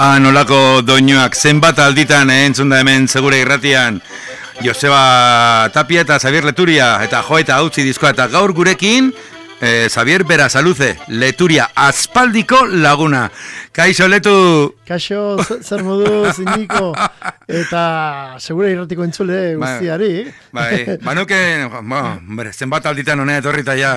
Nolako doinuak zenbat alditan entzun da hemen segure irratian Joseba Tapia eta Xavier Leturia eta jo eta utzi diskoa eta gaur gurekin Xavier Berasaluze, Leturia aspaldiko laguna. Kaixo Letu. Kaixo, zer moduz, Indiko, eta segure irratiko entzule guztiari. Banuke, zenbat alditan honea etorrita ja,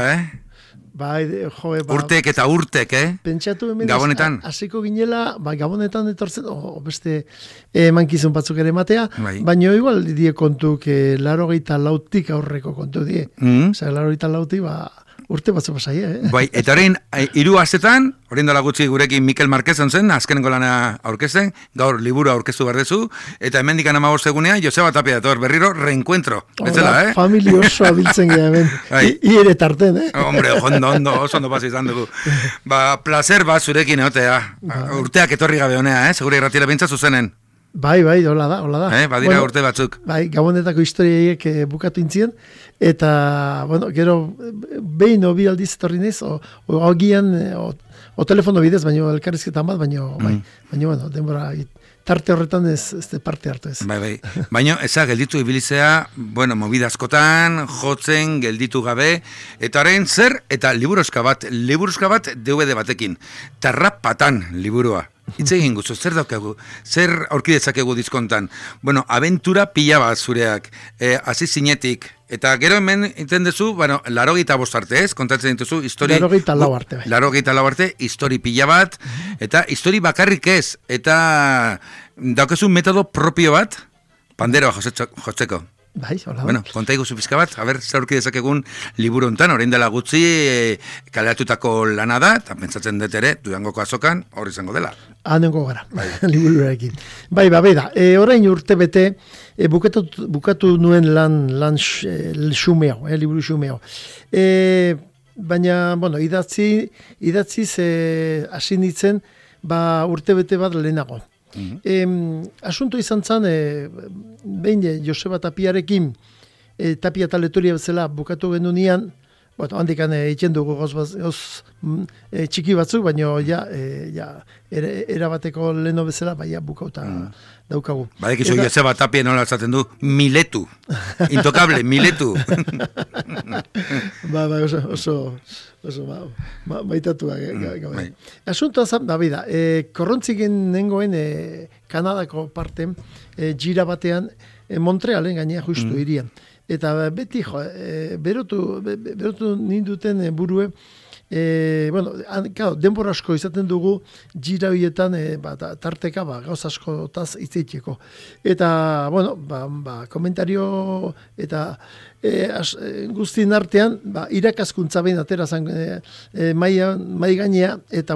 Bai, joe, urtek eta urtek, Pentsatu hemen Gabonetan. Hasiko ginela, Gabonetan etortzen, beste mankizun batzuk ere matea, baina igual die kontuk 84tik aurreko kontu die. Osea, 84tik urte batzu pasai, Bai, eta orain 3 astetan, orain dela gutxi gurekin Mikel Marquezon zen, azkenengo lana aurkezten, gaur liburu aurkeztu berdezu, eta hemendik 15 egunean Joseba Tapia dator berriro reencuentro. Betzela, Familia oso abiltzen gara hemen. Ire tarten, Hombre, oso ondo pasi izan dugu. Placer bat zurekin egotea. Urteak etorri gabe honea, segure irratiera bintza zuzenen. Bai, hola da. Badira urte batzuk. Bai, Gabonetako historiaiek bukatu intzien, eta, gero, behin bi aldiz etorri naiz, ogian, o telefono bidez, baino elkarrizketan bat, baino, denbora, tarte horretan ez parte hartu ez. Bai. Baina, gelditu ibilizea, movida askotan, jotzen, gelditu gabe, eta orain zer, eta liburuska bat DVD batekin, Tarrapatan liburua. Itz egin guzu, zer daukagu, zer aurkidezakegu dizkontan. Aventura pila bat zureak, hasi zinetik, eta gero hemen iten duzu, 85 arte ez, kontatzen dituzu, 84 arte. 84 arte, histori pila bat, eta histori bakarrik ez, eta daukazu metodo propio bat, panderoa jotzeko. Bai, hola. Konta iguzu pizka bat, zer aurki dezakegun liburu hontan, orain dela gutxi kaleratutako lana da, eta pentsatzen dut ere, Durangoko azokan, hori izango dela. Hanengo gara, liburuarekin. Bai, da, orain urte bete, bukatu nuen lan xumeo, liburu xumeo. Baina, idatziz hasi nintzen, urte bete bat lehenago. Asunto izan zen, behin Joseba Tapiarekin, Tapia eta Leturia bezala bukatu genunean, handikan egiten dugu txiki batzuk, baina erabateko leno bezala, bukauta daukagu. Badekizu Joseba Tapia nola esaten du, Miletu, intokable, Miletu. Oso baitatua. Asuntoa zan, korrontziken nengoen Kanadako parte, gira batean, Montrealen gainea justu irian. Eta beti, berotu ninduten burue, denbora asko izaten dugu gira horietan tarteka gauz askotaz itzeiteko. Eta, komentario eta guztien artean, irakaskuntza behin atera zan mai gainea, eta,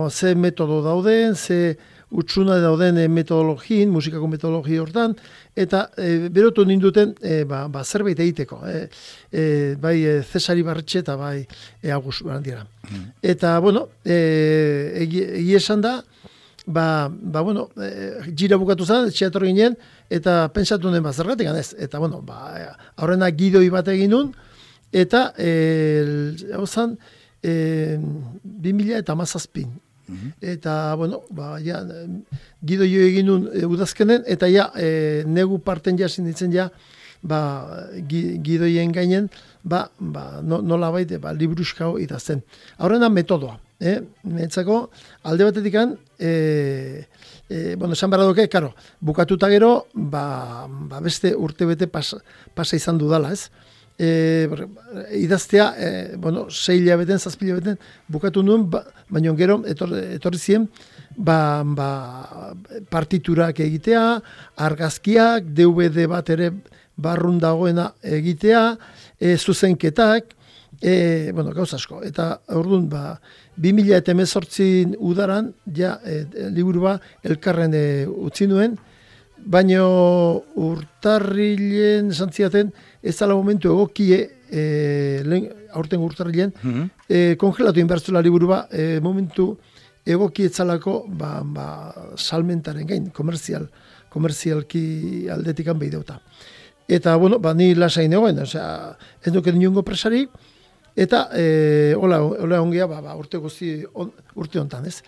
ze metodo dauden, ze utxuna dauden metodologien, musikako metodologi hortan, eta berotu ninduten zerbait egiteko. Bai Cesari Barretxe eta bai Agus Barandiara. Eta, egi esan da, gira bukatu zen, etxeator ginen, eta pentsatu nuen zergatik ganez. Eta, aurrena gidoi bat egin nun, eta, hau zen, 2017. Eta, gido jo egin nun udazkenen, eta negu parten jasin ditzen gidoien gainen, nola baite, liburuskao idazten. Horrena metodoa, netzako, alde batetikan, esan behar duke, bukatuta gero, beste urte bete pasa izan dudala, ez? Idaztea, 6 hilabeten, 7 hilabeten bukatu nuen, baina gero etorri ziren partiturak egitea, argazkiak, DVD bat ere barrun dagoena egitea, zuzenketak, gauz asko. Eta orduan, 2018 udaran, liburua elkarren utzi nuen, baina urtarrilen santziaten, ez dala momentu egokie, aurten urtarrilen, kongelatu inbertzula liburua, momentu egoki etzalako salmentaren gain, komerzialki aldetikan behideuta. Eta, ni lasain egoen, ez duken niongo presarik, Eta hola ongia urte guzti urte hontan, ez?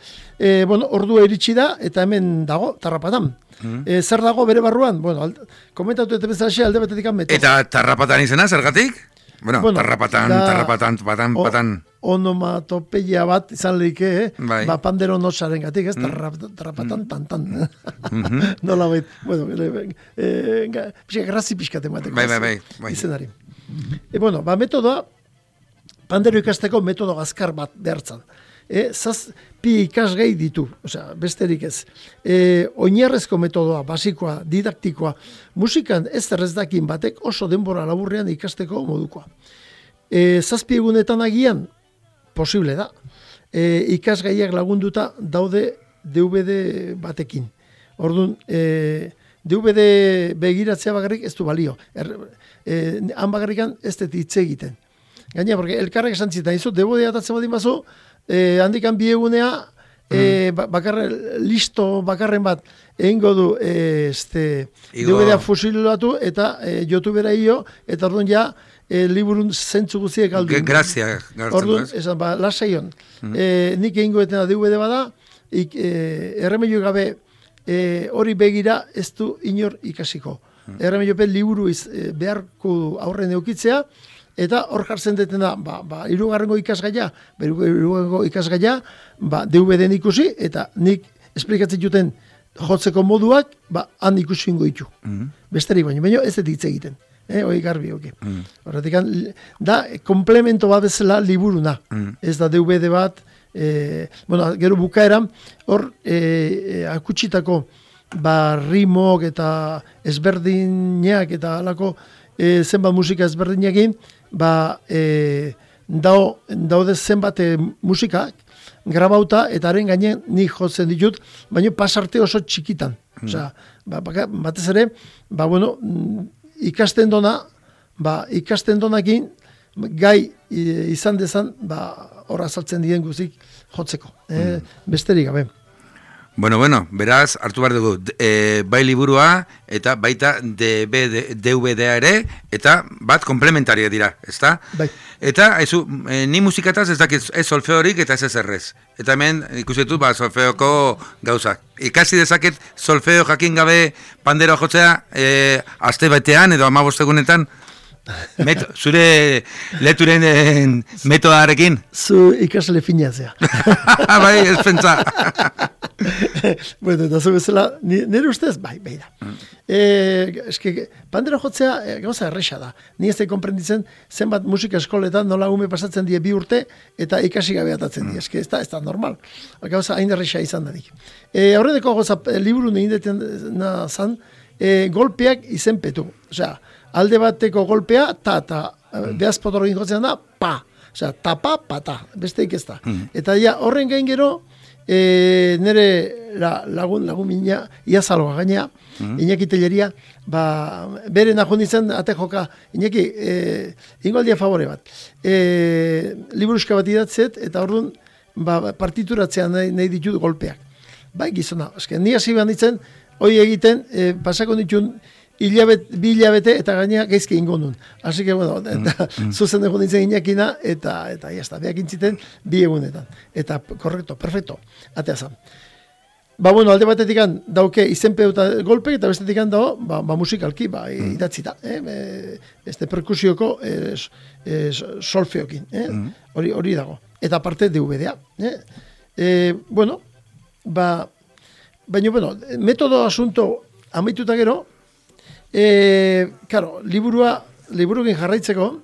Bueno, ordua iritsi da eta hemen dago Tarrapatan. Zer dago bere barruan? Bueno, komentatu eta bezalaxe alde batetik metodo. Eta Tarrapatan izena zergatik? Bueno, Tarrapatan. Onomatopeia bat izan leike, pandero nosaren gatik, ez? Tarrapatan, tantan. Nola bait, bueno, grazi pixkate mateko. Bai. Izenari. Bueno, metodoa, pandero ikasteko metodo azkar bat behartzan. Zazpi ikasgai ditu, osea, besterik ez. Oinarrezko metodoa, basikoa, didaktikoa, musikan ez dakin batek oso denbora laburrean ikasteko modukoa. Zazpi egunetan agian, posible da. Ikasgaiak lagunduta daude DVD batekin. Orduan, DVD begiratzea bakarrik ez du balio. Han bakarrikan ez dut hitz egiten. Gaina, porque elkarrek esan zitan, izo, DVD atatzen badin bazo, handikan bi egunea, bakarren bat, egingo du DVD-a fusilatu eta YouTubera io, eta orduan ja, liburun zentzu guztiek aldu. Grazia. Orduan, esan, lasaion. Nik egingo etena DVD bada, erremeio gabe hori begira ez du inor ikasiko. Erremeio liburu beharko aurren eukitzea, eta hor jartzen detena, hirugarrengo ikasgaia, DVD-en ikusi, eta nik esplikatzen juten jotzeko moduak, han ikusi ingo ditu. Besterik baino ez dut hitz egiten. Hoi garbi, oke. Horretik, da, komplemento bat bezala liburuna. Ez da DVD bat, gero bukaeran, hor akutsitako rimok eta ezberdinak eta alako zenbat musika ezberdinekin, daude zenbat musikak grabauta eta haren gainen nik jotzen ditut, baina pasarte oso txikitan. Osea, batez ere, ikasten donakin gai izan dezan, hor azaltzen diren guzik jotzeko. Besterik gabe. Bueno, beraz, hartu behar dugu, bai liburua eta baita DVD-a ere, eta bat komplementaria dira, ezta? Bai. Eta, ni musikataz ez dakit ez solfeorik eta ez errez. Eta hemen ikusetut, solfeoko gauzak. Ikasi dezaket solfeo jakin gabe pandero jotzea, aste batean edo 15 egunetan, zure leturen metodarekin? Zu ikasle finazea. Bai, ez pentsa. Bueno, eta zu bezala, nire ustez, bai da. Pandero jotzea gauza erresa da. Ni ez da konprenditzen zenbat musika eskoletan nola ume pasatzen die 2 urte eta ikasi gabe atatzen die. Ez da normal. Gauza hain erresa izan danik. Horreteko gauza liburu nindeten zan, golpeak izenpetu. Osea, alde bateko golpea, ta, behazpotorro ingotzen da, pa. Osea, tapa, pata, besteik ez da. Eta horren gain gero, nire lagun mina, iazaloa gainea, Iñaki Telleria, bere nahon izan, ate joka, Iñaki, ingoaldia favore bat. Liburuska bat idatzet, eta orduan, partituratzean nahi ditut golpeak. Bai, gizona, ni hasi behar ditzen, hoi egiten, pasako ditun, 2 hilabete eta gainea gaizke ingo nun. Así que, zuzen egon ditzen Iñakina, eta jazta, beak intziten 2 egunetan. Eta, korrekto, perfecto, atea zan. Alde batetik dauke izenpeu eta golpe, eta bestetik dago, musikalki, idatzita. Perkusioko solfeokin. Hori dago. Eta parte DVD-a. Baina, metodo asunto amaituta gero, liburukin jarraitzeko,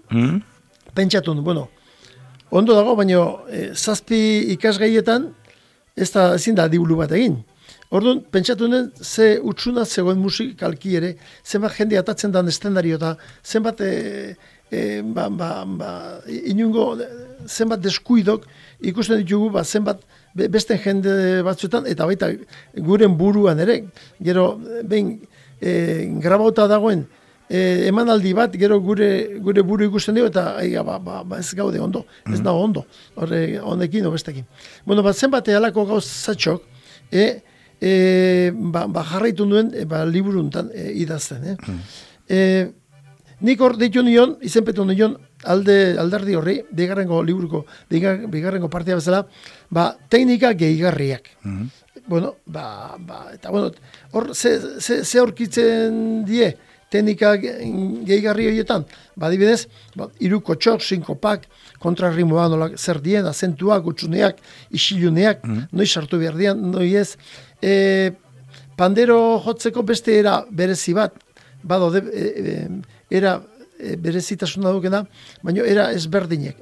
pentsatu, ondo dago, baina 7 ikasgaietan, ezin da dibulu bat egin. Orduan, pentsatu nuen, ze utzuna zegoen musikalki ere, zenbat jende atatzen dan estendario eta zenbat inungo, zenbat deskuidok ikusten ditugu, zenbat beste jende batzuetan, eta baita guren buruan ere, gero, behin, grabauta dagoen emanaldi bat, gero gure buru ikusten dugu, eta ez gaude ondo, ez dago ondo, honekin o bestekin. Zenbat alako gauzatxok, jarraitu nuen liburuntan idazten. nik hor deitu nion, izenpetu nion, alderdi horri, bigarrengo liburuko, bigarrengo partia bezala, teknika gehigarriak. Bueno, eta bueno, hor, ze aurkitzen die, teknika gehigarri horietan, adibidez, 3 kotxok, 5 pak, kontrarrimoa nolak zer dien, azentuak, utxuneak, isiluneak, noiz sartu behar dian, noiz ez. Pandero jotzeko beste era berezi bat, badode, era berezitasuna dukena, baina era ezberdinek,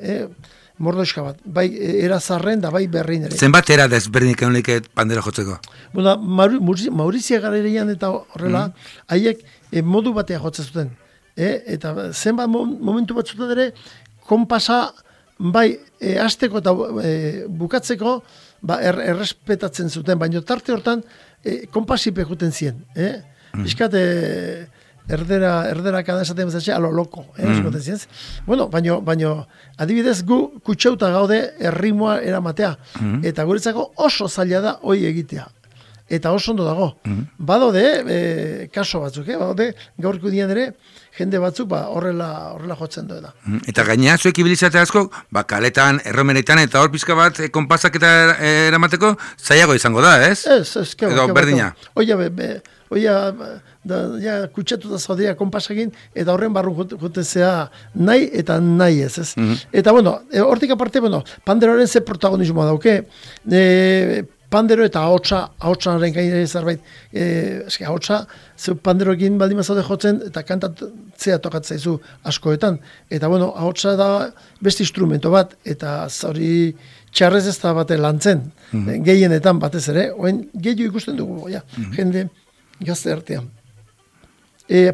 mordoska bat, bai era zarren da bai berrin ere. Zenbat era desberdinek honik pandero jotzeko? Bueno, Maurizia Garaian eta horrela, haiek modu batea jotzen zuten. Eta zenbat momentu batzutan ere, konpasa bai hasteko eta bukatzeko errespetatzen zuten, baina tarte hortan konpasipe juten zien. Bizkat erdera kada esaten bezatxe, alo loko. Bueno, baina adibidez gu kutsauta gaude errimoa eramatea. Eta guretzako oso zaila da hoi egitea. Eta oso ondo dago. Badode, kaso batzuk, badode, gaurko dian ere, jende batzuk horrela jotzen duena. Eta gainea, zuek ibilizate asko, kaletan, erromeretan, eta hor pizka bat, konpasak eta eramateko, zailago izango da, ez? Ez, edo berdina. Oia, kutsatu da zaudea konpasakin, eta horren barru jotezea nahi eta nahi ez. Eta, bueno, hortik aparte, panderoaren ze protagonismoa dauke, pandero eta ahotsanaren gainera zerbait, ahotsa, zeu panderoekin baldin mazaude jotzen, eta kantatzea tokatzaizu askoetan. Eta, bueno, ahotsa da beste instrumento bat, eta zauri txarrez ez da bate lantzen, gehienetan batez ere, oen gehiago ikusten dugu, jende gazte artean.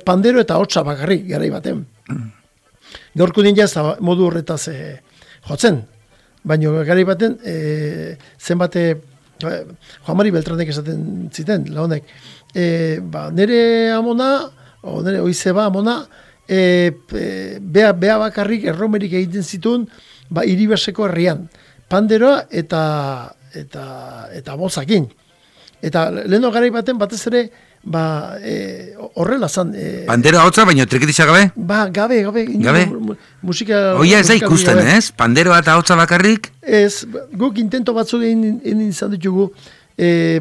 Pandero eta ahotsa bakarrik, garai baten. Gaurko nien ez da modu horretaz jotzen, baina garai baten zenbate Juan Mari Beltranek esaten ziten, lagunek. Nere amona, nere oizeba amona, bea bakarrik erromerik egiten zituen, Iribaseko herrian. Panderoa eta bozakin. Eta leheno garai baten batez ere, horrela zan. Pandero hotza, baina trikitisa gabe? Gabe. Musika... Oia ez da ikusten, ez? Panderoa eta hotza bakarrik? Ez, guk intento batzuk egin izan ditugu,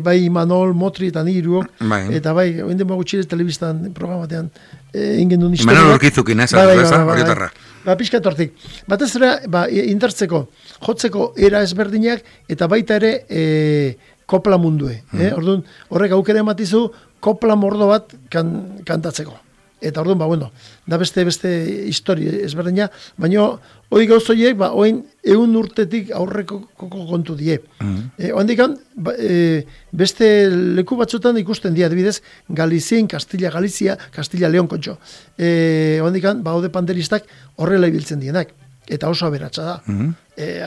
bai Manol, Motri eta Niruok, eta bai, oinde magutxirez telebistan programatean egin duen historia. Manol Urkizukin, ez? Horietarra. Piskat hortik. Batez ere, indartzeko, jotzeko era ezberdinak, eta baita ere kopla mundue. Orduan, horrek aukera ematizu, kopla mordo bat kantatzeko. Eta orduan, da beste historia ezberdina, baina hoi gauzoiek, oin 100 urtetik aurreko kontu die. Oendikan, beste leku batzutan ikusten die, adibidez, Galizien, Castilla-Galizia, Castilla-Leon kontxo. Oendikan, haude panderistak horrela ibiltzen dienak. Eta oso aberatsa da.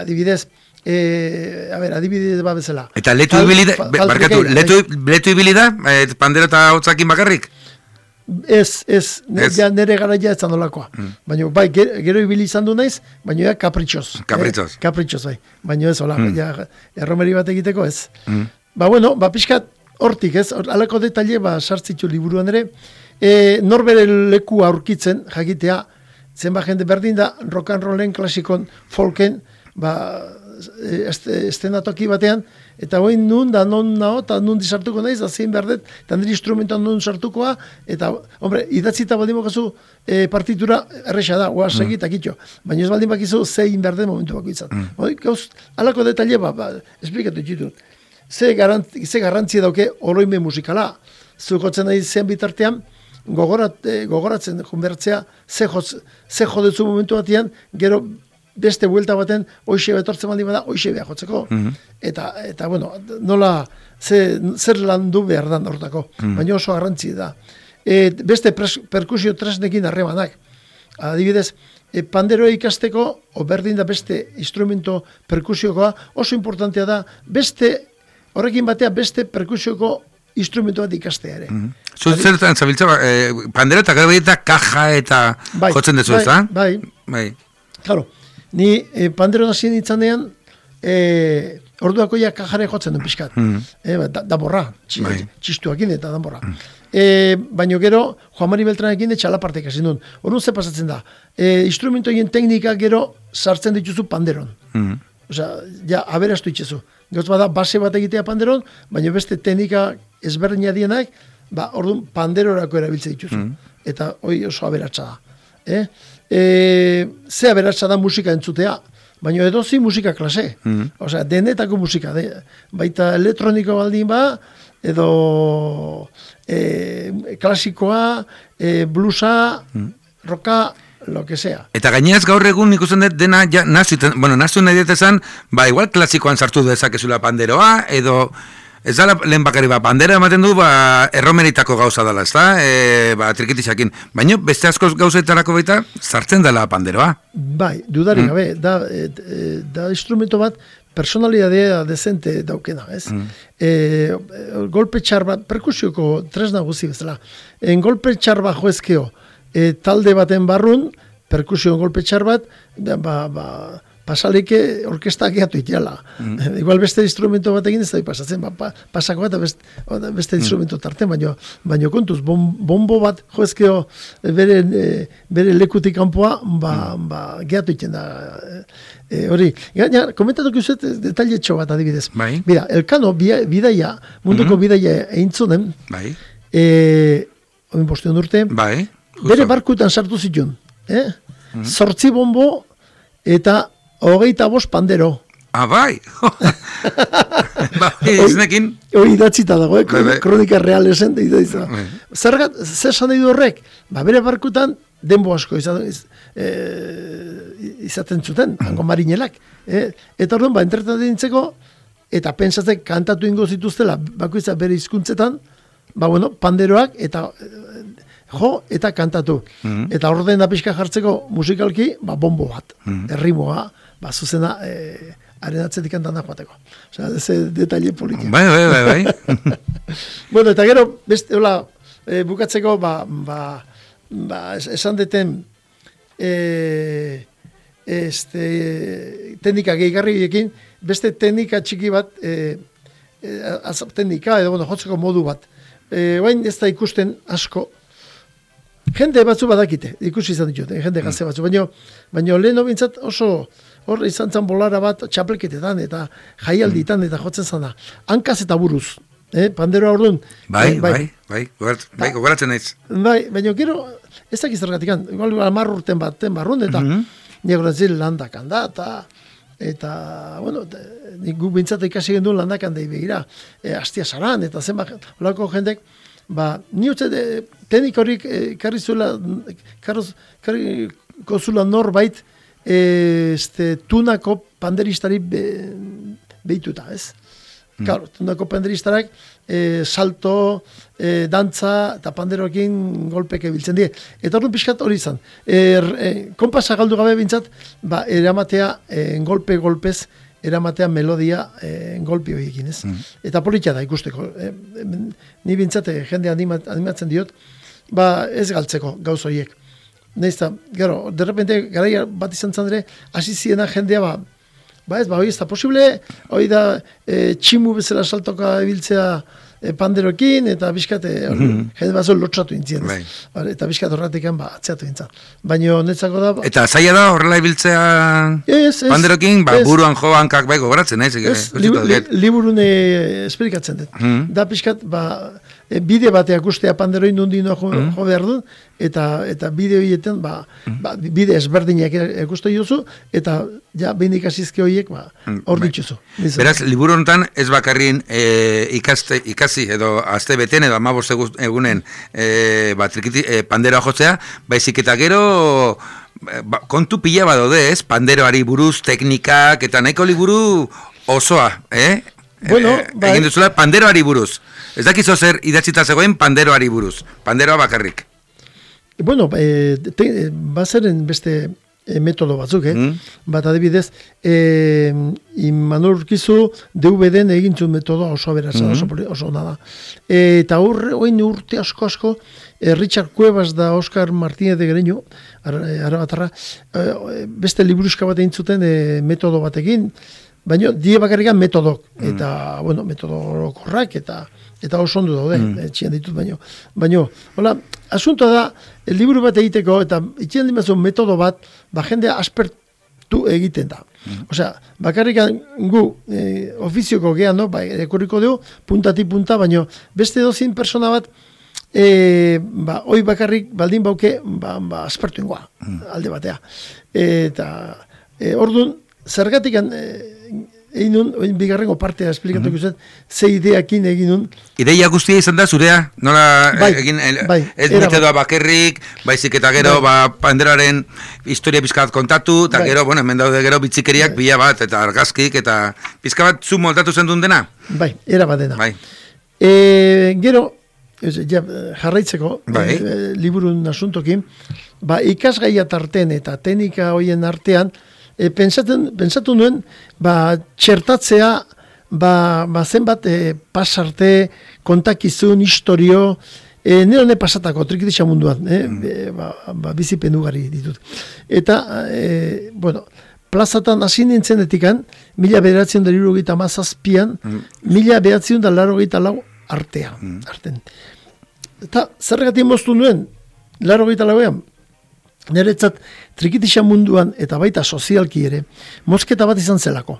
Adibidez, adibidez bezala. Eta letu ibili da, pandero eta hotzakin bakarrik? Ez, nire garaia ez zandolakoa. Baina, gero ibili izan du naiz, baina kapritxoz. Kapritxoz, bai. Baina ez, hola, erromeri bat egiteko ez. Pixkat hortik ez, alako detaile, sartzitzu liburuan ere, norbere leku aurkitzen, jakitea, zenba jende berdin da, rock and rollen, klasikon, folken, estenatoki batean, eta hoin nun da non nao, eta nun disartuko naiz, da zein berdet, eta nire instrumentoan nun sartukoa, eta, hombre, idatzita baldin bakazu partitura erresa da, oa segi eta kitxo, baina ez baldin bakizu zein berdet momentu bako izan. Alako detaile, esplikatu ditut. Ze garrantzia dauke oroime musikala, zukotzen nahi zean bitartean, gogoratzen junbertzea, ze jodezu momentu batean, gero beste buelta baten, hoxe betortzen baldin bada, hoxe beha jotzeko. Eta, bueno, nola, zer landu behar dan hortako, baina oso garrantzi da. Beste perkusio tresnekin harremanak. Adibidez, panderoa ikasteko, berdin da beste instrumento perkusiokoa, oso importantea da, horrekin batea beste perkusioko instrumento bat ikastea ere. Zertan zabiltza, pandero eta gero eta kaja eta jotzen dezu, ez da? Bai. Claro, ni pandero nazien itzanean, orduako ja kajare jotzen duen pixkat. Da borra, txistuakin eta da borra. Baina gero, Juan Mari Beltranekin txalapartek hasi duen. Orduan ze pasatzen da. Instrumentoien teknika gero sartzen dituzu panderon. Osea, ja, aberastu itxezu. Gauz bada, base bat egitea panderon, baina beste teknika ezberdina dienak, orduan panderorako erabiltze dituzu. Eta hoi oso aberatsa da. Ze aberatsa da musika entzutea, baina edozi musika klase. Osea, denetako musika. Baita elektroniko baldin ba, edo klasikoa, bluesa, roka, lo que sea. Eta gaineaz gaur egun ikusten dut dena ja nazu nahi detezan, igual klasikoan sartu dezakezula panderoa, edo ez da lehen bakari pandera ematen du erromeritako gauza dela, ez da? Trikitisakin. Baina beste askoz gauzetarako baita sartzen dela panderoa. Bai, dudarik gabe, da instrumento bat personalidadea dezente daukena, ez? Golpe txar bat, perkusioko tresna guzi bezala, golpe txar bat joezkeo, talde baten barrun, perkusio golpe txar bat, pasalike orkesta gehiatu iteala. Igual beste instrumento batekin ez da pasatzen, pasako bat beste instrumento tarten, baina kontuz, bombo bat joezkeo bere lekutik kanpoa, gehiatu iten da. Hori, komentatuko izet detailetxo bat adibidez. Mira, Elkano bidaia, munduko bidaia eintzunen, oin bostion urte, bere barkutan sartu zituen. 8 bombo eta 25 pandero. Bai! Iznekin? Hori idatzita dago, kronika realesen. Zer esan nahi du horrek? Bere barkutan denbo asko izaten zuten, hango marinelak. Eta orduan, entretatzen dintzeko, eta pentsatzen kantatu ingo zituztela, bakoitzak bere hizkuntzetan, panderoak, eta jo eta kantatu. Eta orden da pixka jartzeko musikalki, bombo bat, errimoa, zuzena arenatzetik antana joateko. Osea, eze detaile politia. Bai. Bueno, eta gero, beste, hola, bukatzeko, esan deten teknika gehigarriekin, beste teknika txiki bat, teknika, edo, jotzeko modu bat. Bain ez da ikusten asko, jende batzu badakite, ikusi izan ditut, jende gazte batzu, baina lehen bintzat oso hor izan zan bolara bat txapelketetan eta jaialditan eta jotzen zana. Hankaz eta buruz, panderoa orduan. Bai, gogoratzen naiz. Bai, baina gero, ez dakiz zergatikan, igual 10 urten baten barrun, eta nire zil landakan da, eta, bueno, nik gu bintzat ikasi genduen landakan da begira, Astia Saran, eta zenbat, holako jendek, ni uste teknik horik karri kozula norbait tunako panderistari behituta, ez? Claro, tunako panderistarak salto, dantza eta panderoekin golpeke biltzen die. Eta orduan pixkat hori izan. Konpasa galdu gabe bintzat, eramatea golpez, eramatea melodia golpi horiekin, ez? Eta politia da ikusteko. Ni bintzate jende animatzen diot, ez galtzeko gauz horiek. Neizta, gero, derrepente, garaia bat izan zandere, hasi ziena jendea, hori ez da posible, hori da tximu bezala saltoka ebiltzea panderokin, eta bizkat, jende bat zon lotxatu intzien. Eta bizkat horretik atzeatu intzan. Baina netzako da... Eta zaila da horrela ibiltzea panderokin, buruan jo hankak baiko goratzen, liburun esplikatzen dut. Da bizkat, bide bateak ustea panderoin nundino jo behar du, eta bide horietan, bide ezberdinak ikuste duzu, eta behin ikasizke horiek hor dituzu. Beraz, liburu honetan ez bakarrin ikasi edo azte beten edo 15 egunen panderoa jotzea, baizik eta gero kontu pila badaude, ez? Panderoari buruz, teknikak, eta nahiko liburu osoa, egin duzula panderoari buruz. Ez dakizo zer idatzita zegoen panderoari buruz. Panderoa bakarrik. Bueno, bazeren beste metodo batzuk, bat adibidez, Imanol Urkizu DVD-en egintzun metodoa oso aberatsa, oso nada. Eta oin urte asko, Richard Cuevas da Oscar Martínez de Greño, arabatarra, beste liburuska bat egin zuten metodo batekin, baina die bakarrikan metodok, eta, bueno, metodo korrak, eta oso ondo daude, etxian ditut baino, hola, asuntoa da, liburu bat egiteko, eta etxian dimazu metodo bat, jendea aspertu egiten da. Osea, bakarrikan gu ofizioko gehan, no, ekurriko dugu, puntatik punta, baino, beste dozin persona bat, hoi bakarrik baldin bauke, aspertu ingoa, alde batea. Eta, orduan, zergatik egin nun, bigarrengo partea esplikatuko zen, ze ideakin egin nun. Ideia guztia izan da, zurea? Nola egin, ez metodoa bakerrik, baizik eta gero, panderaren historia pizkat kontatu, eta gero, bueno, hemen daude gero bitzikeriak bila bat, eta argazkik, eta pizka bat zu moldatu zen duen dena? Bai, era bat dena. Gero, jarraitzeko, liburun asuntokin, ikasgaia tarten eta teknika hoien artean, pensatu nuen, txertatzea, zenbat pasarte, kontakizun, historio, nire hone pasatako, trikitisa munduan, bizipen ugari ditut. Eta, bueno, plazatan hasi nintzen etikan, 1977an, 1984 arten. Eta zergatik moztu nuen, 84an, niretzat trikitisa munduan eta baita sozialki ere, mozketa bat izan zelako.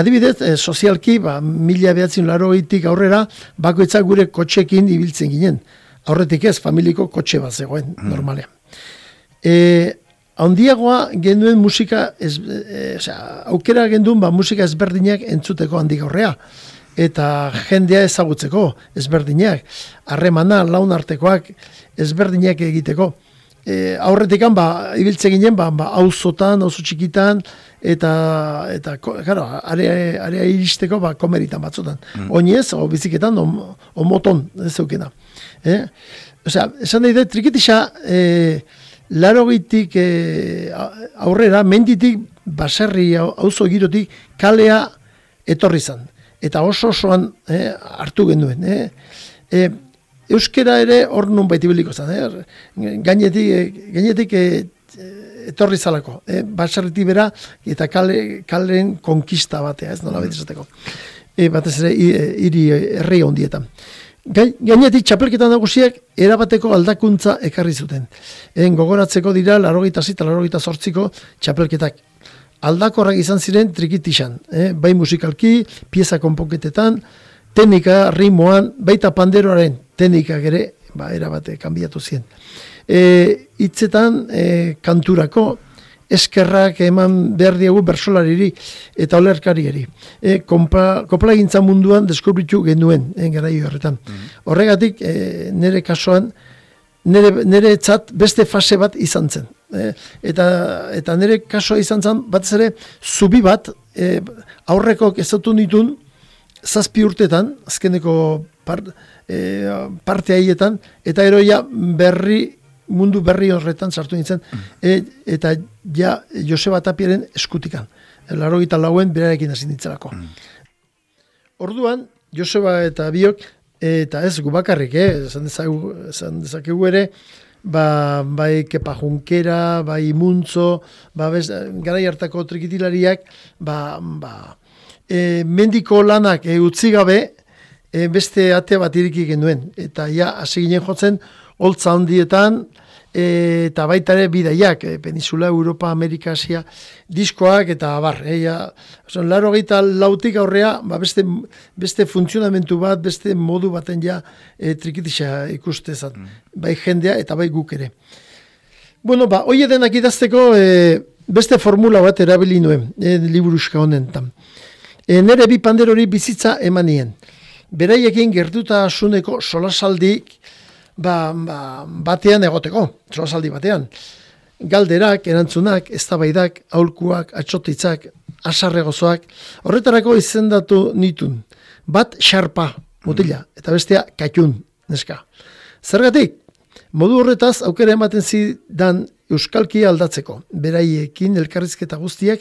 Adibidez, sozialki, 1980tik aurrera, bakoitzak gure kotxekin ibiltzen ginen. Aurretik ez, familiko kotxe bat zegoen, normalean. Handiagoa genuen musika, aukera genduen musika ezberdinak entzuteko handik aurrea. Eta jendea ezagutzeko ezberdinak, harremana, laun artekoak ezberdinak egiteko. Aurretikan, ibiltzen ginen, auzotan, auzo txikitan, eta claro, area iristeko, komeritan batzutan. Oinez, o biziketan, o moton, ez zeukena. Osea, esan nahi da, trikitisa, 80tik aurrera, menditik, baserri, auzo girotik, kalea etorri zan. Eta osoan hartu genuen. Euskera ere hor nun baiti biliko zen. Gainetik etorri zalako. Baserritik bera eta kalen konkista batea, ez nola betizateko. Batez ere, herri ondietan. Gainetik txapelketa nagusiak erabateko aldakuntza ekarri zuten. Gogoratzeko dira 86 eta 88ko txapelketak. Aldakorrak izan ziren trikitisan, bai musikalki, pieza konponketetan, teknika, ritmoan, baita panderoaren teknikak ere, erabate, kanbiatu ziren. Hitzetan, kanturako, eskerrak eman behar diegu bersolariri eta olerkarieri. Koplagintza munduan deskubritu genuen, garaio horretan. Horregatik, nire kasuan, nire etzat beste fase bat izan zen. Eta nire kasua izan zen, batez ere, zubi bat, aurrekok ezautu nitun, 7 urtetan, azkeneko parte haietan, eta eroia mundu berri horretan sartu nintzen, eta ja Joseba Tapiaren eskutikan. 84an berarekin hasi nintzelako. Orduan, Joseba eta biok, eta ez gu bakarrik, esan dezakegu ere, bai Kepa Junkera, bai Muntzo, garai hartako trikitilariak, mendiko lanak utzi gabe, beste ate bat iriki genuen. Eta ja, hasi ginen jotzen, holtza handietan, eta baita ere bidaiak, Peninsula, Europa, Amerika, Asia, diskoak eta abar. 84tik aurrea, beste funtzionamentu bat, beste modu baten ja trikitisa ikustezat. Bai jendea eta bai guk ere. Bueno, hoi edenak idazteko beste formula bat erabili nuen, liburuska honetan. Nere bi panderori bizitza emanien. Beraiekin gertutasuneko solasaldik batean egoteko, solasaldi batean. Galderak, erantzunak, eztabaidak, aholkuak, atxotitzak, asarregozoak, horretarako izendatu nitun. Bat xarpa, mutila, eta bestea katxun, neska. Zergatik, modu horretaz aukera ematen zidan euskalkia aldatzeko, beraiekin elkarrizketa guztiak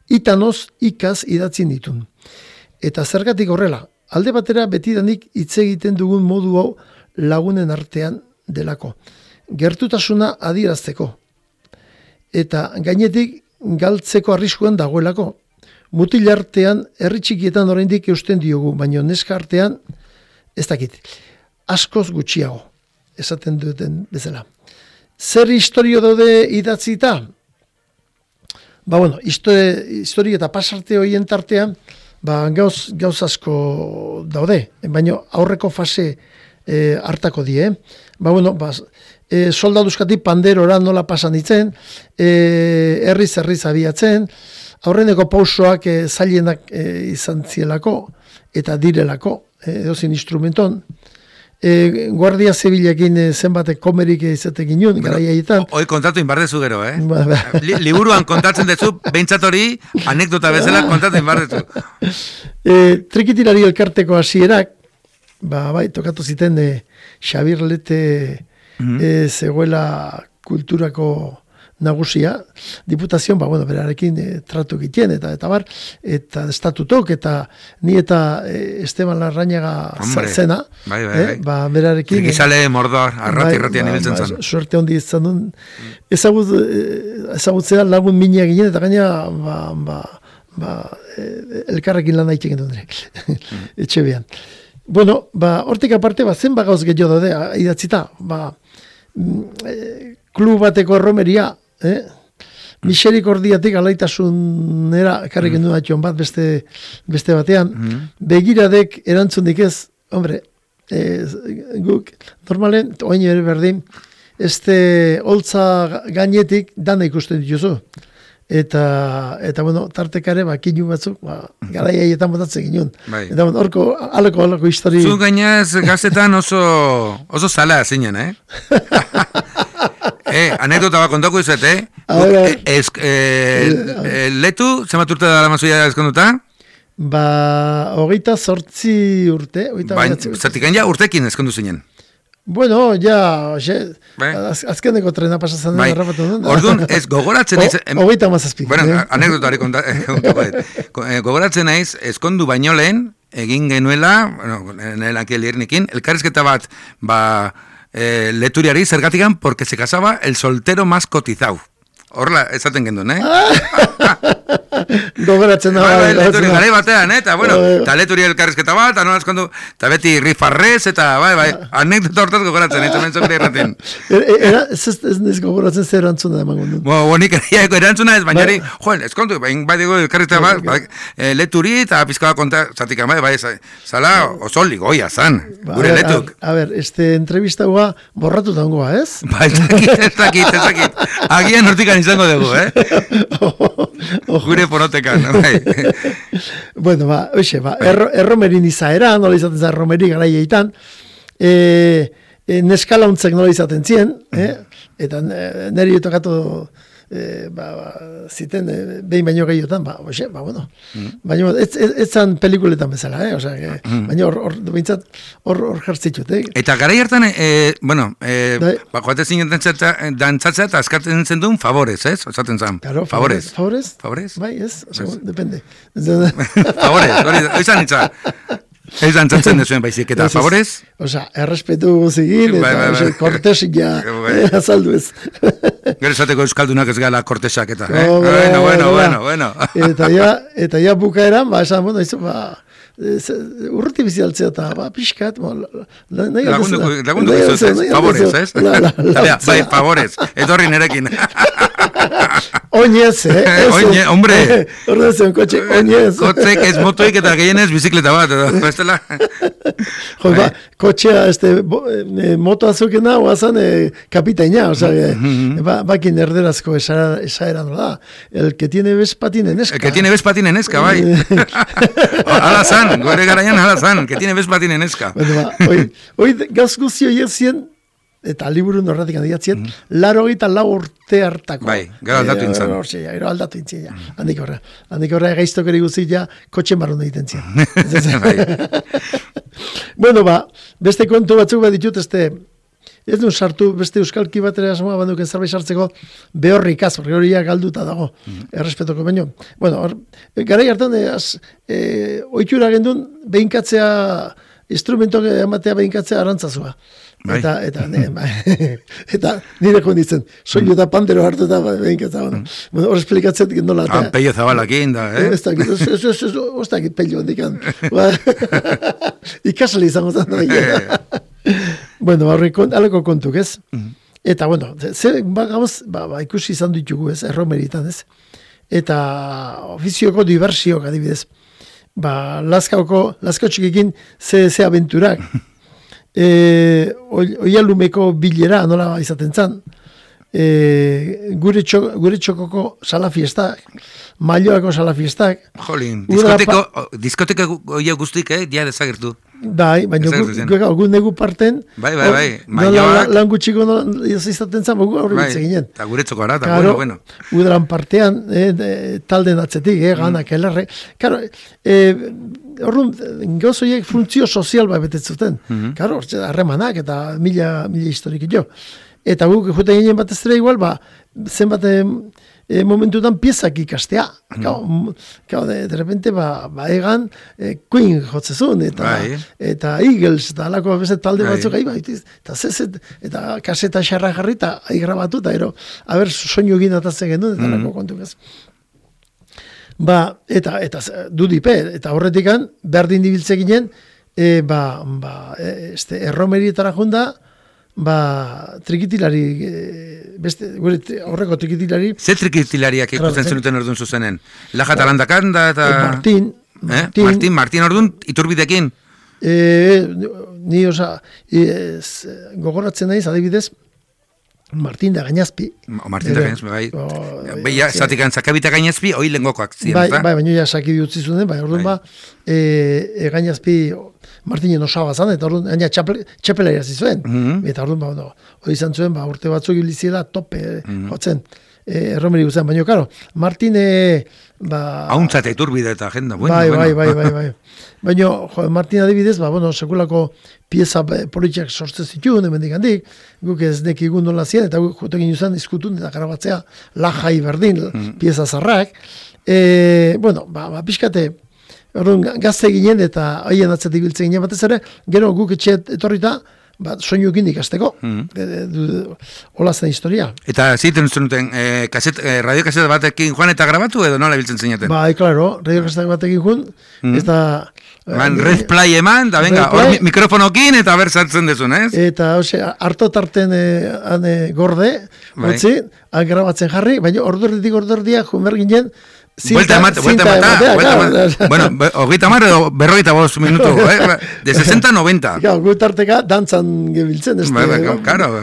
itanoz ikaz idatzin ditun. Eta zergatik horrela, alde batera betidanik hitz egiten dugun modu hau lagunen artean delako. Gertutasuna adierazteko. Eta gainetik galtzeko arriskuan dagoelako. mutil artean, herri txikietan oraindik eusten diogu, baina neska artean, ez dakit, askoz gutxiago, esaten duten bezala. Zer historio daude idatzita? Ba, bueno, historio eta pasarte horien tartean, ba, gauz asko daude, baina aurreko fase hartako die. Ba, bueno, ba, soldaduzkatik panderora nola pasan ditzen, herriz abiatzen, aurreneko pausoak zailenak izan zielako, eta direlako, edozin instrumenton. Guardia Zibilekin zenbatek komerik izatek inun, gara jaietan. Hoi kontatu inbardezu gero, Liburuan kontatzen dezu, behintzat hori, anekdota bezala kontatu inbardezu. Trikitilari elkarteko hasierak, bai, tokatu ziten Xabir Lete zegoela kulturako nagusia, diputazioan, ba, bueno, berarekin tratu egiten, eta bar, eta estatutok, eta ni eta Esteban Larrañaga zena, ba, berarekin. Trikizale mordor, arrati-ratian ibiltzen zen. Suerte hondi izan duen, ezagutzea lagun mina ginen, eta gaina, elkarrekin lan haitzen duen, etxe behan. Bueno, ba, hortik aparte, ba, zen bagauz gehiago daude, idatzita, ba, klub bateko erromeria, miserikordiatik alaitasunera ekarrik gendu batxon bat beste batean, begiradek erantzundik ez, hombre, guk, normalen, oin ere berdin, holtza gainetik dana ikusten dituzu. Eta bueno, tartekare, kinu batzuk, gara jaietan botatzen ginen. Eta horko, alako histori... Zu gainaz, gaztetan oso zala zinen, anekdota bat kontako izat, letu, zemat urte da mazuia eskonduta? Ba, 28 urte. Zertikan ja urtekin eskondu zinen. Bueno, ja, azkeneko trena pasatzen den errapatu duen. Orduan, ez gogoratzen naiz... Hogeita mazazpi. Bueno, anekdotari kontako. Gogoratzen naiz, eskondu baino lehen, egin genuela, nire lankiel irnikin, elkarrizketa bat, leturiari zergatikan, porque se casaba el soltero más cotizau. Horla, esaten gendun, Gogoratzen da. Garai batean, eta bueno, eta leturi elkarrizketa bat, eta beti rifarrez, eta anekdota hortaz gogoratzen, eta mentzok erraten. Ez niz gogoratzen zer erantzuna emango du. Bonik erantzuna ez, baina eskontu, bai digo elkarrizketa bat, leturi eta pizkoa konta, zatik bai, zala oso ligoia zan, gure letuk. A ber, entrevista hua borratu daungoa, ez? Ba, ez dakit. Agian hortikan izango dugu, Gure porotekan, bai. Bueno, erromerin izaera, nola izaten zen erromeri garaietan, neskalauntzek nola izaten zien, eta neri tokatu ziten behin baino gehiotan, bueno. Baina ez zan pelikuletan bezala, baina hor jartzitut. Eta garai hartan, joate zinen dantzatzea eta askatzen zen duen favorez, ez? Osaten zan. Favorez? Favorez? Bai, ez, depende. Favorez, hori zan itza. Ez dantzatzen dezuen baizik, eta favorez? Errespetu guzigin, eta kortesik ja azaldu ez. Gero esateko euskaldunak ez gala kortesak, eta, bueno. Eta ja bukaeran, esan, urruti bizialtzea eta pixkat, lagundu gizuz, favorez, ez? Bai, favorez, etorri nerekin. Oinez, Oinez, hombre. Ordezen, kotxe, oinez. Kotzek ez motoik eta gehienez bizikleta bat, bestela. Kotxea, moto azukena, oazan kapitaina, bakin erderazko esaera da. El que tiene Vespatin eneska. El que tiene Vespatin eneska, bai. Hala zan, gore garaian hala zan, que tiene Vespatin eneska. Hoi gaz guzio jezien, eta liburu norratik handiatzen, 84 urte hartako. Bai, gero aldatu intzan. Gero aldatu intzan, handik horra gaiztok eri guztia, kotxen barrun egiten zian. Bueno, beste kontu batzuk bat ditut, ez duen sartu, beste euskalki bat ere asmoa banduken zerbait sartzeko, behorrikaz, hori galduta dago, errespetoko baino. Bueno, garai hartan, oitura gendun, behinkatzea instrumentok ematea behinkatzea arantzazua. Bai. Eta nire konditzen, soinu eta pandero hartu eta behinkatza. Hor esplikatzen nola. Peio zabalakin da, Ez dakit peio handikan. Ikasle izango zen. Bueno, aleko kontuk, ez? Eta, bueno, gauz, ikusi izan ditugu, ez? Erromeritan, ez? Eta ofizioko diversiok adibidez. Lazkao txikikin ze abenturak. Oialumeko bilera nola izaten zan. Gure txokoko salafiestak, Mailoako salafiestak. Jolin, diskoteka oia guztik, dia desagertu. Bai, baina gu negu parten. Bai, Mailoak. Lan gutxiko izaten zan, gu horri bitze ginen. Eta gure txoko ara, eta bueno. Udaran partean, talden atzetik, ganak, elarre. Karo, horren, gauzoiek funtzio sozial betetzuten. Karo, harremanak eta mila historik jo. Eta guk juten ginen bat ez dira igual, zenbat momentutan piezak ikastea. De repente, egan Queen jotzezun, eta Eagles, eta alako bezet talde batzuk eta kaseta xarra jarri, eta grabatu, eta soinu egin atatzen genuen, eta alako kontuk ez. Eta dudipe, eta horretikan, berdin dibiltze ginen, erromerietara junda, trikitilari, horreko trikitilari. Ze trikitilariak ikusten zenuten orduan zuzenen? Laja talandakanda eta... Martin orduan iturbidekin? Ni gogoratzen naiz, adibidez, Martin da Gainazpi. Martin da Gainazpi, bai. Beia, zatikan zakabita Gainazpi, hoi lengokoak ziren, bai, baina ja sakidi utzi zuen, orduan Gainazpi Martinen osaba zan, eta orduan txapela irazi zuen. Eta orduan, hori izan zuen, urte batzuk ibiliziela tope jotzen. Erromeri guztian, baina, karo, Martin... Hauntzate iturbide eta agenda, bai. Baina, Martin adibidez, sekulako pieza politiak sortzen zituen, hemendik handik, guk ez nekigun nola zien, eta guk jotekin izan izkutun, eta garabatzea lajai berdin, pieza zarrak. Pixkate, gazte ginen, eta haien atzetik biltzen ginen batez ere, gero guk etxe etorrita, soinukin ikasteko. Hola zen historia. Eta ziten zenuten, radiokaseta batekin joan eta grabatu edo nola biltzen zinaten? Bai, klaro, radiokaseta batekin joan, eta... Red play eman, da venga, hor mikrofonokin eta ber sartzen dezun, ez? Eta, harto tarten gorde, hotzi, grabatzen jarri, baina ordurdia joan ginen, Vuelta emata. Bueno, 30 edo 45 minutu, de 60 a 90. Gutarteka dantzan gebiltzen, Claro,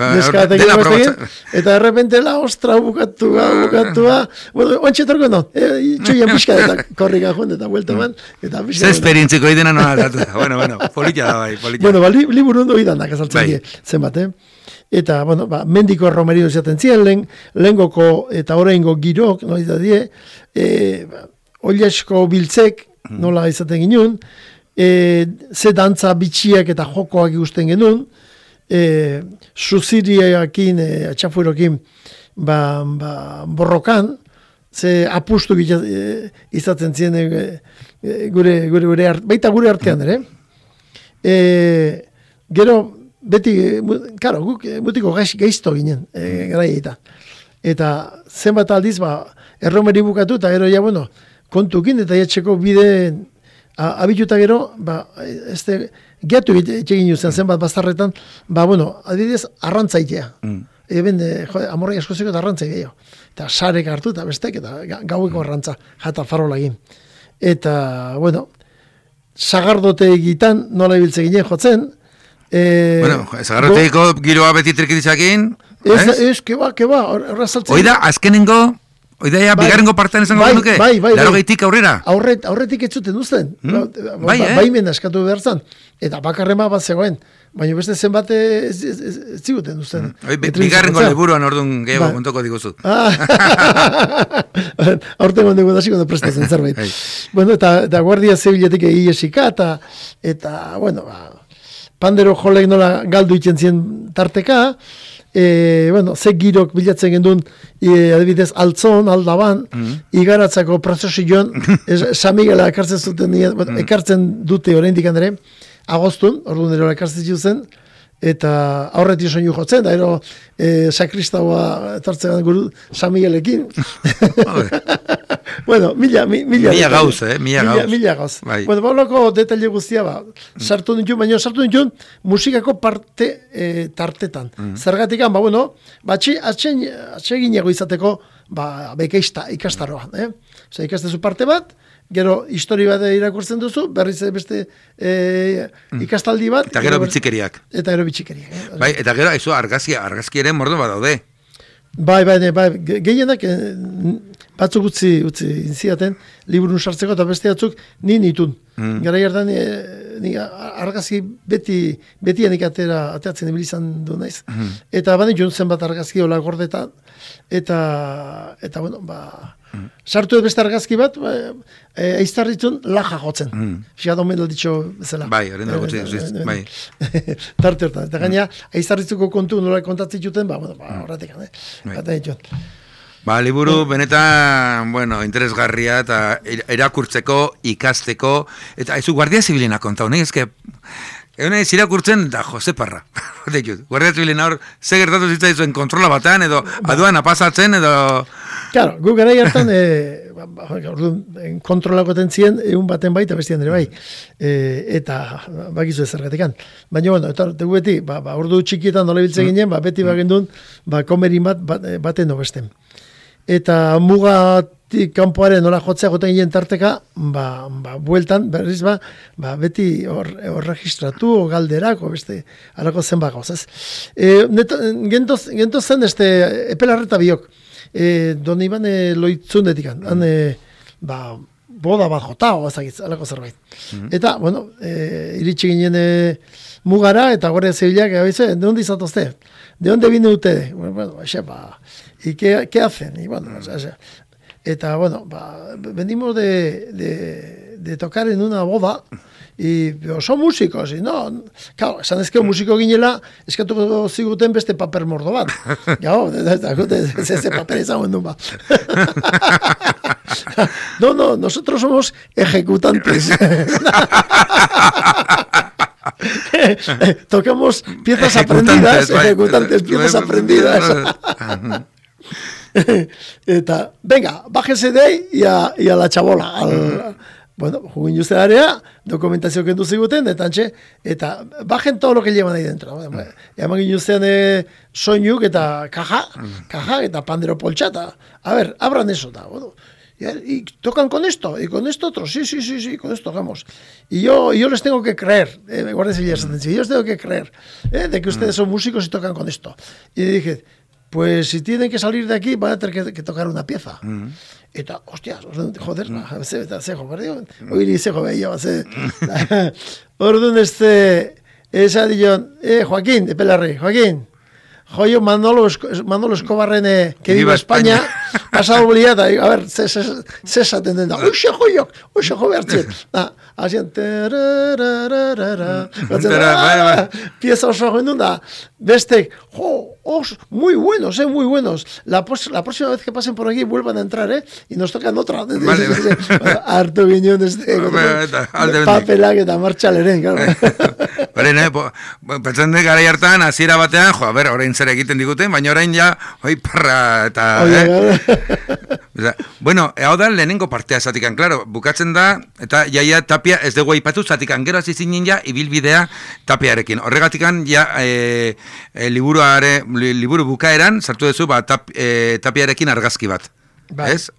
dena probatzen. Eta de repente la ostra bukatua. Bueno, ontsetorko no, itxoia pixka eta korrika joan, eta vuelta eman. Ze esperientziko idena nola aldatu da. Bueno, politia da bai, politia. Bueno, liburu ondo idanak azaltzen die, zenbat, Eta, mendiko erromerio izaten ziren, lehengoko eta oraingo girok, nola die, oliasko biltzek, nola izaten ginen, ze dantza bitxiak eta jokoak ikusten genuen, suziriakin, atxafuerokin, borrokan, ze apustu izaten ziren baita gure artean, gero, beti, karo, guk mutiko gaizto ginen, garaieita. Eta zenbat aldiz, erromeri bukatu, eta gero, kontukin, eta jatxeko bide abituta gero, gehiatu egin zen zenbat bastarretan, adibidez, arrantzaitea. Amorrai askozeko eta arrantzaitea. Eta sarek hartu, eta bestek, eta gaueko arrantza, jata farola egin. Eta, sagardote egitan, nola ibiltze ginen jotzen, zagarroteiko giroa beti trikitizakin. Ez, keba, horra saltzen. Oida, azkenengo, bigarrengo partean esango genuke? Laro gehitik aurrera? Aurretik ez zuten uzten. Baimen askatu behar zan. Eta bakarrema bat zegoen. Baina beste zenbat ez ziguten uzten. Bigarrengo liburuan orduan gehiago kontoko diguzut. Aurten gondego da ziko da prestatzen zerbait. Eta guardia zibiletik iesika, eta, pandero jolek nola galdu itzen zien tarteka, ze girok bilatzen gendun, adibidez, altzon, aldaban, igaratzako prozesioan, San Miguela ekartzen zuten, ekartzen dute oraindik andere, agostun, orduan ero ekartzen zen, eta aurretik soinu jotzen, da ero sakristaua etortzen guru San Miguelekin. Bueno, mila gauz, mila gauz. Bai. Bueno, baulako detaile guztia, sartu nintun, baina sartu nintun musikako parte tartetan. Zergatikan, bueno, atseginago izateko, bekaista ikastaroa. Osa, ikastezu parte bat, gero histori bat irakurtzen duzu, berriz beste ikastaldi bat. Eta gero bitxikeriak. Bai, eta gero, argazki ere mordo bat daude. Bai, gehienak batzuk utzi inziaten, liburun sartzeko, eta beste batzuk nitun. Gara jartan, argazki betianik ateratzen ibilizan du naiz. Eta bane jontzen bat argazki hola gordetan, eta bueno, sartu beste argazki bat, aiztarritzen laja jotzen. Fiat omen ditxo bezala. Bai, horren da gutxi, bai. Tarte hortan. Eta gaina, aiztarritzuko kontu nola kontatzen juten, horretik, liburu benetan, interesgarria eta irakurtzeko, ikasteko, eta ez Guardia Zibilena kontau, nahi ezke, egun ez irakurtzen, da Jose Parra. Guardia Zibilena hor, ze gertatu zitzaizuen kontrola batean, edo aduan apasatzen, edo... Claro, gu gara hartan, kontrolako tentzien, egun baten baita bestian ere bai, eta bakizu ez zergatikan. Baina, eta dugu beti, ordu txikietan nola biltze ginen, beti bagendun, komerin baten obesten. Eta mugatik kanpoaren nola jotzea goten ginen tarteka, bueltan, berriz beti hor registratu, o galderak, o beste, alako zen gauz, ez? Gento zen, epelarreta biok, don iban loitzundetik, boda bat jota, o ezagitz, alako zerbait. Eta, bueno, iritsi ginen mugara, eta Guardia Zibilak, ¿de dónde izatozte? ¿De dónde viene usted? Bueno, ¿y qué hacen? Y bueno, eta, bueno, venimos de tocar en una boda, pero son músicos, y no, claro, esan ezkeo musiko ginela, eskatuko ziguten beste paper mordo bat. Gau, ese paper izango endun ba. No, nosotros somos ejecutantes. Tocamos piezas aprendidas, ejecutantes, piezas aprendidas. Eta, venga, bájese de ahí y a la chabola. Bueno, jugin juzte area, dokumentazio kendu ziguten, eta bajen todo lo que llevan ahí dentro. Eman ginuztean soinuk eta kaja, eta pandero poltxata. A ver, abran eso, bueno. Y tocan con esto, y con esto otro, sí, con esto tocamos. Y yo les tengo que creer, Guardia Civil, yo les tengo que creer, de que ustedes son músicos y tocan con esto. Y dije, pues si tienen que salir de aquí, van a tener que tocar una pieza. Eta, hostias, joder, zejo, oiri zejo behia, orduan esa dion, Joaquín, de Pelarri, Joaquín, joio Manolo Escobarren que viva España, pasado bolillata, a ver, cesa tendenda, uxe jo behartzen, hasian, pieza oso joen da, bestek, muy buenos, la próxima vez que pasen por aquí vuelvan a entrar, y nos tocan otra, hartu ginen papelak eta martxaleren, claro. Pentsan de gara hartan, hasiera batean, a ber, orain zer egiten diguten, baina orain ja, parra, eta... Bueno, hau da lehenengo partea zatikan, claro, bukatzen da, eta jaia Tapia ez dugu aipatu zatikan, gero hasi zinen ja, ibilbidea Tapiarekin. Horregatikan, ja, liburu bukaeran, sartu duzu, Tapiarekin argazki bat. Ez?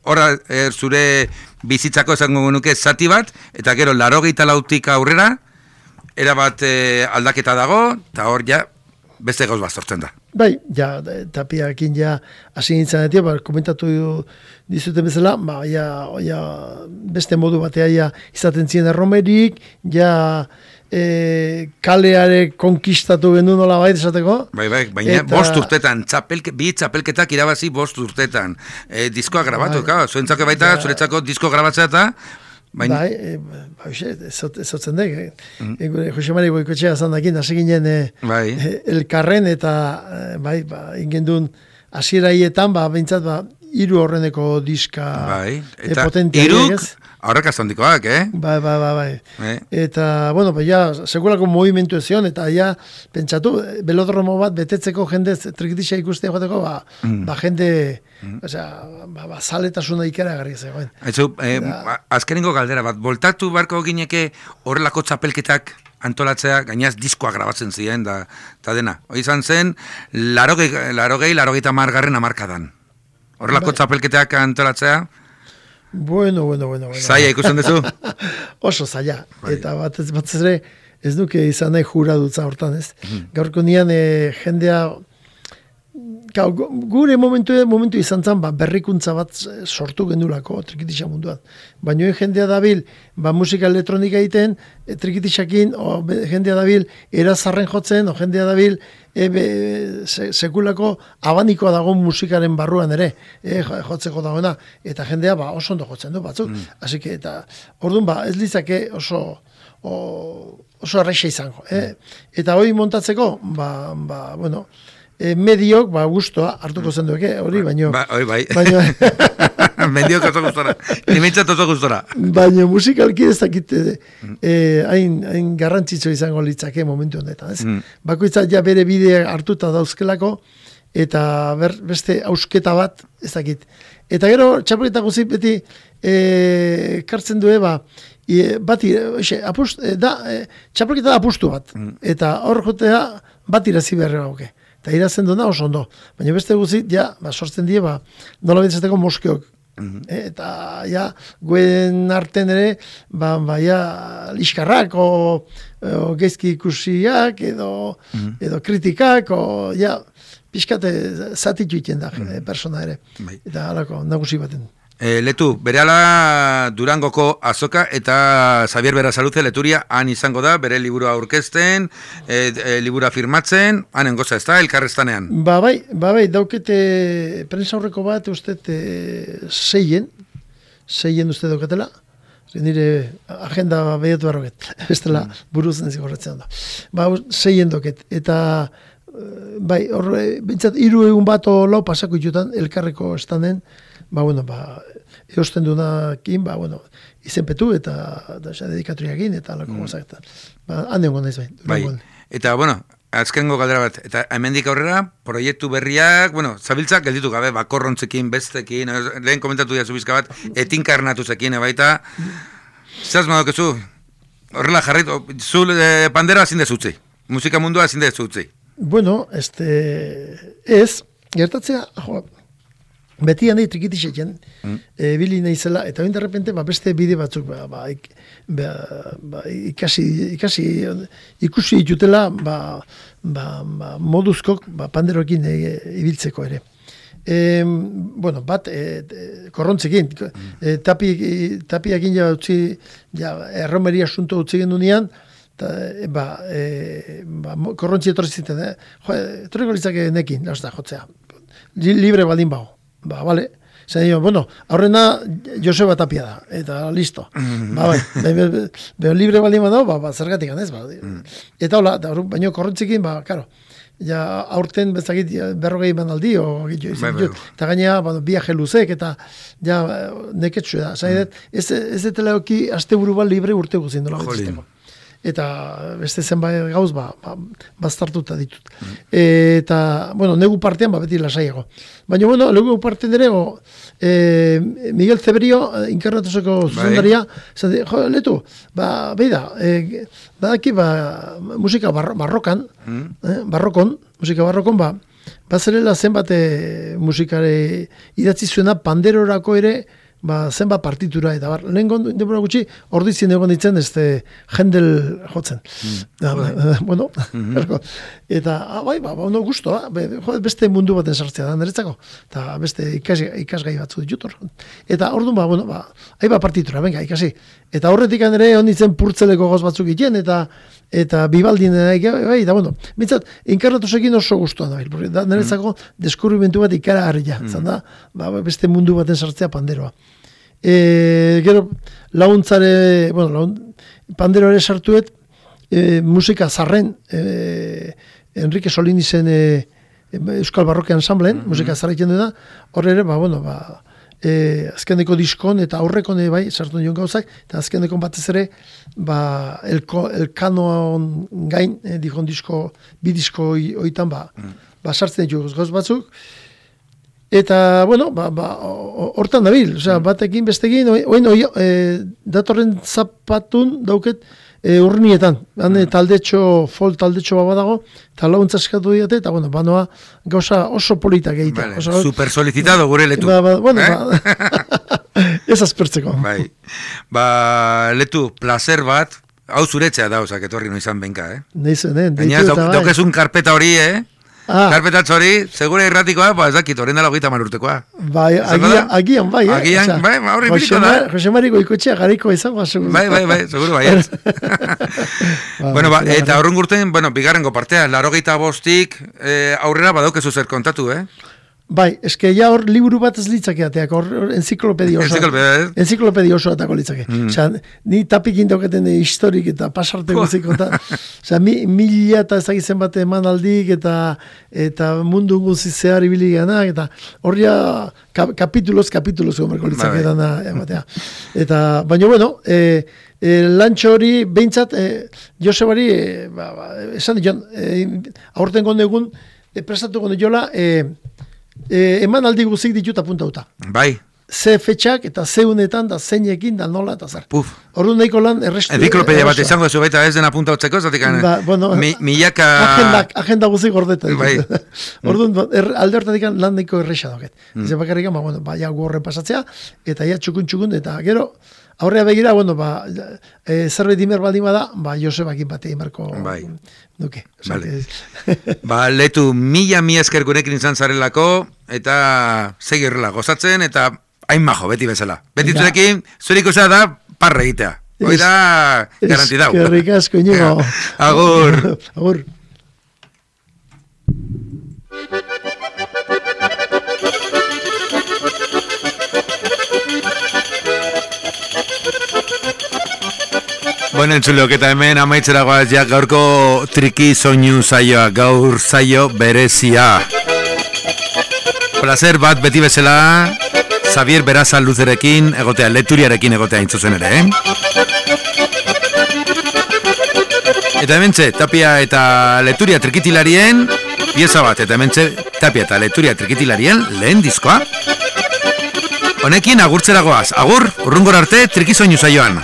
Horra, zure bizitzako esango genuke zati bat, eta gero 84 aurrera, erabat aldaketa dago, eta hor ja, beste gauz bat sortzen da. Bai, ja, Tapiarekin ja, hasi nintzen etia, komentatu dizuten bezala, ja, beste modu batea ja, izaten ziren erromerik, ja, kaleare konkistatu gendu nola bai desateko. Bai, baina bost urtetan, bi txapelketak irabazi bost urtetan. Diskoa grabatu, zuentzako baita, zuretzako disko grabatzea eta... Bai, ezotzen dek. Jose Mari Goikotxea zandakin, hasi ginen elkarren eta, bai, ingendun hasieraietan, behintzat, hiru horreneko diska eta potentia. Iruk aurrekaz handikoak, Bai. Eta, bueno, ja, segurako movimentu ezion, eta ja, pentsatu, belodromo bat betetzeko jende trikitisa ikustea joateko, jende, zaletasuna ikaragarri zegoen. Azkenengo galdera bat, voltatu barko gineke horrelako txapelketak antolatzea, gainaz diskoa grabatzen ziren, da dena. Hoi izan zen, 80 margarren amarkadan. Horrelako txapelketak antolatzea, Bueno. Zaila ikusten duzu? Oso zaila. Eta batez ere, ez duke izan nahi juradutza hortan, ez? Gaurko nian jendea, gure momentu izan zen, berrikuntza bat sortu gendulako trikitisa munduan. Baina jendea dabil, musika elektronika egiten, trikitisakin, jendea dabil, erazarren jotzen, jendea dabil, sekulako abanikoa dago musikaren barruan ere, jotzeko dagoena, eta jendea oso ondo jotzen du batzuk. Así que, eta orduan ez litzake oso erreixa izango. Eta hori montatzeko, bueno, mediok, gustoa hartuko zen dueke, hori, baino... Bai. Mediok oso gustora. Nimentzat oso gustora. Baina musikalki ez dakite hain garrantzitsu izango litzake momentu honetan, ez? Bakoitzak ja bere bidea hartuta dauzkelako, eta beste ausketa bat, ez dakit. Eta gero, txapelketa guzik beti kartzen due, txapelketa da apustu bat. Eta hor jotea bat irazi beharra gauke. Eta irazen duna oso ondo. Baina beste guzit, sortzen die, nola bintzateko moskeok. Eta, guen arten ere, liskarrak, gezki ikusiak, edo kritikak, pixkate zatitu iten da, persona ere. Eta halako, nagusi baten. Letu, berehala Durangoko azoka eta Xavier Berasaluze leturia han izango da, bere liburua aurkezten, liburua firmatzen, hanen goza ez da, elkarrestanean. Bai, daukete prensa aurreko bat, uste seien uste dauketela, nire agenda behiatu barroket, bestela buruzen ez gorretzen da. Seien dauket, eta bai, horre, bintzat, 3 egun bat lau pasako itutan, elkarreko estanen, eosten dunakin, izenpetu eta dedikatoriakin, eta alako gozak. Hande hongo naiz bai. Eta, azkengo galdera bat, eta hemendik aurrera, proiektu berriak, zabiltzak gelditu gabe, korrontzekin, bestekin, lehen komentatu diazu bizka bat, etinka ernatuzekin, baita, zaz madokezu, horrela jarraitu, zu pandera ezin dezutzi, musika mundua ezin dezutzi. Bueno, ez, gertatzea, beti handi trikitixetzen, bili nahizela, eta bain derrepente, beste bide batzuk, ikusi ditutela, moduzkok, panderoekin ibiltzeko ere. Bat, korrontzekin, tapiakin erromeria asunto utzi gendunean, korrontzi etorri ziten, etorriko litzake nekin, jotzea, libre baldin bago. Bale, aurrena Joseba Tapia da, eta listo. Libre baldin badago, zergatik ganez. Eta hola, baina korrontzekin, karo, aurten bezakit 40 manaldi, eta gainea, biaje luzek, eta neketxu da. Ez detela oki asteburu bat libre urte guzien dola betzisteko. Eta beste zenbait gauz, bastartuta ditut. Eta, negu partean, beti lasaiago. Baina, negu partean ere, Miguel Zebrio, inkarnatuseko zuzendaria, letu, beida, badaki, musika barrokon, musika barrokon, bazerela zenbat musikare idatzi zuena panderorako ere, zenbat partitura, eta lehen denbora gutxi, ordizien egon ditzen, Händel jotzen. Eta, guztua, beste mundu baten sartzea da, niretzako, eta beste ikasgai batzu ditut hor. Eta orduan, partitura, venga, ikasi. Eta horretik ere, onditzen purtzeleko goz batzuk egiten, eta bibaldin, eta bintzat, inkarnatusekin oso guztua da, niretzako deskubrimentu bat ikaragarria, zan da, beste mundu baten sartzea panderoa. Gero, laguntzare, pandero ere sartuet, musika zarren, Enrique Solinizen Euskal Barroke Ensamblen, musika zaraitzen duena, hor ere, azkeneko diskon eta aurrekon bai, sartu nion gauzak, eta azkeneko batez ere, elkanoan gain, dikon disko, bi disko oitan, sartzen ditu gauz batzuk, eta, hortan dabil, batekin, bestekin, datorren zapatun dauket, urnietan, folk taldetxo badago, eta launtza eskatu diate, eta banoa gauza oso politak egitea. Super solicitado gure Letu. Ez azpertzeko. Letu, placer bat, hau zuretzea da, etorri izan benka, Neizen, daukezun karpeta hori, karpetatz hori, segura irratikoa, ez dakit, horren dala 30 urtekoa. Agian, horri biriko da. Jose Mari Goikotxea gariko izango, seguru. Seguru, baiet. Eta horren gurten, bigarrengo partea, 85 aurrera badaukezu zer kontatu, eske ja hor liburu bat ez litzakeateak, hor enziklopedia oso atako litzake. Ni tapikin dauketen historik eta pasarte guzik, mila eta ezagizen bat emanaldik eta mundu guzi zehar ibili ganak, eta hor ja kapituloz gomerko litzake dana ematea. Baina, lantxo hori, behintzat, Josebari, esan dion, aurten gondegun, prestatu gondeola, eman aldi guzik ditut apuntauta. Ze fetxak eta ze unetan da zeinekin da nola eta zer. Orduan nahiko lan errestu. Enziklopedia bat izango zu baita ez den apuntautzeko, zatik milaka... Agenda guzik gordeta. Orduan alde hortatik lan nahiko erresa doket. Ez bakarrik, horren pasatzea, eta txukun, eta gero, aurrea begira, zerbait imer baldin bada, Josebakin bate imerko duke. Letu, mila esker gurekin izan zarelako, eta segirrela gozatzen, eta hain majo, beti bezala. Beti zurekin, zuriko da, parra egitea. Hoi da, garantidau. Eskerrik asko, Iñigo. Agur. Agur. Entzulok, eta hemen amaitzera goaz gaurko triki soinu saioa, gaur saio berezia. Placer bat beti bezala, Xavier Beraza Luzerekin egotea, Leturiarekin egotea intzuzen ere, Eta hementxe, Tapia eta Leturia trikitilarien pieza bat, eta hementxe, Tapia eta Leturia trikitilarien lehen diskoa. Honekin agurtzera goaz, agur, urrungor arte triki soinu saioan.